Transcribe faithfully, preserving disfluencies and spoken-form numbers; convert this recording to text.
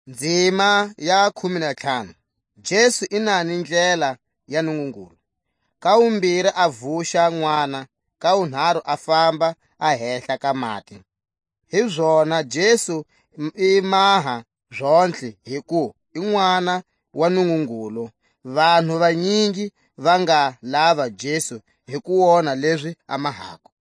Ndzima ya khume na ntlhanu. Jesu i na ni ndlela ya Nungungulu. Ka wumbiri a vuxa n'wana, ka wunharhu a famba a hehla ka mati. Hizona Jesu m-, i maha zontlhe, hi ku i n'wana wa Nungungulu. Vanhu vanyingi va nga lava Jesu hi ku wona lezi a mahako.